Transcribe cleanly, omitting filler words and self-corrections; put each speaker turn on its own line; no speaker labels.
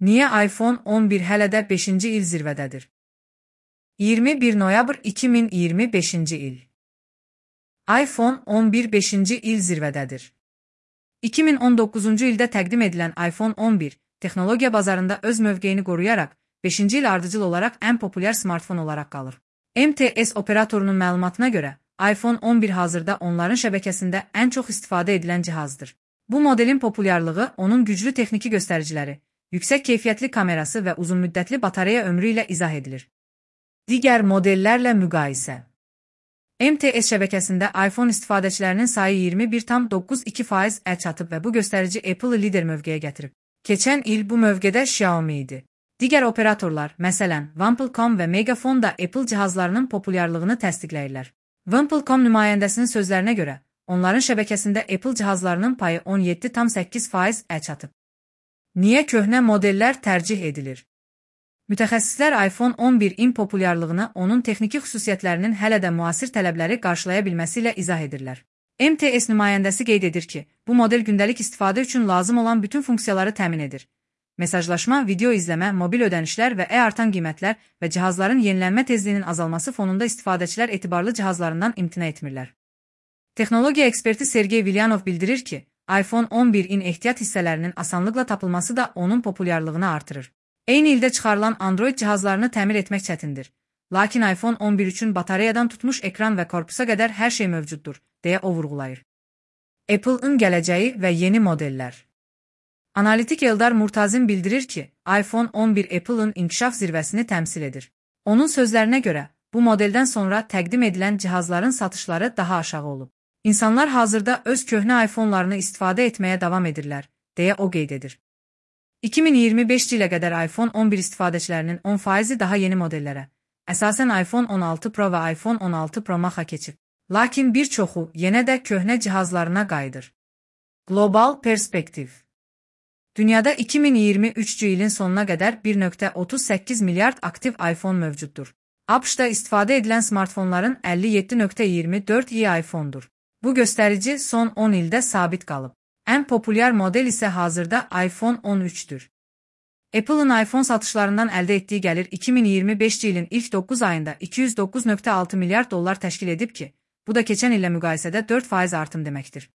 Niyə iPhone 11 hələ də 5-ci il zirvədədir? 21 noyabr 2025-ci il. iPhone 11 5-ci il zirvədədir. 2019-cu ildə təqdim edilən iPhone 11 texnologiya bazarında öz mövqeyini qoruyaraq 5-ci il ardıcıl olaraq ən populyar smartfon olaraq qalır. MTS operatorunun məlumatına görə iPhone 11 hazırda onların şəbəkəsində ən çox istifadə edilən cihazdır. Bu modelin populyarlığı onun güclü texniki göstəriciləri, yüksək keyfiyyətli kamerası və uzunmüddətli batareya ömrü ilə izah edilir. Digər modellərlə müqayisə. MTS şəbəkəsində iPhone istifadəçilərinin sayı 21,92%-ə çatıb və bu göstərici Apple-ı lider mövqeyə gətirib. Keçən il bu mövqedə Xiaomi idi. Digər operatorlar, məsələn, Wampel.com və Megaphone da Apple cihazlarının populyarlığını təsdiqləyirlər. Wampel.com nümayəndəsinin sözlərinə görə, onların şəbəkəsində Apple cihazlarının payı 17,8%-ə çatıb. Niyə köhnə modellər tərcih edilir? Mütəxəssislər iPhone 11-in populyarlığını onun texniki xüsusiyyətlərinin hələ də müasir tələbləri qarşılaya bilməsi ilə izah edirlər. MTS nümayəndəsi qeyd edir ki, bu model gündəlik istifadə üçün lazım olan bütün funksiyaları təmin edir. Mesajlaşma, video izləmə, mobil ödənişlər və artan qiymətlər və cihazların yenilənmə tezliyinin azalması fonunda istifadəçilər etibarlı cihazlarından imtina etmirlər. Texnologiya eksperti Sergey Vilyanov bildirir ki, iPhone 11-in ehtiyat hissələrinin asanlıqla tapılması da onun populyarlığını artırır. Eyni ildə çıxarılan Android cihazlarını təmir etmək çətindir. Lakin iPhone 11 üçün batareyadan tutmuş ekran və korpusa qədər hər şey mövcuddur, deyə o vurğulayır. Apple-ın gələcəyi və yeni modellər. Analitik Eldar Murtazin bildirir ki, iPhone 11 Apple-ın inkişaf zirvəsini təmsil edir. Onun sözlərinə görə, bu modeldən sonra təqdim edilən cihazların satışları daha aşağı olub. İnsanlar hazırda öz köhnə iPhone-larını istifadə etməyə davam edirlər, deyə o qeyd edir. 2025 ilə qədər iPhone 11 istifadəçilərinin 10%-i daha yeni modellərə, əsasən iPhone 16 Pro və iPhone 16 Pro Max-a keçib. Lakin bir çoxu yenə də köhnə cihazlarına qayıdır. Qlobal perspektiv. Dünyada 2023-cü ilin sonuna qədər 1,38 milyard aktiv iPhone mövcuddur. ABŞ-da istifadə edilən smartfonların 57,24%-i iPhone-dur. Bu göstərici son 10 ildə sabit qalıb. Ən populyar model isə hazırda iPhone 13-dür. Apple-ın iPhone satışlarından əldə etdiyi gəlir 2025-ci ilin ilk 9 ayında 209,6 milyard dollar təşkil edib ki, bu da keçən illə müqayisədə 4% artım deməkdir.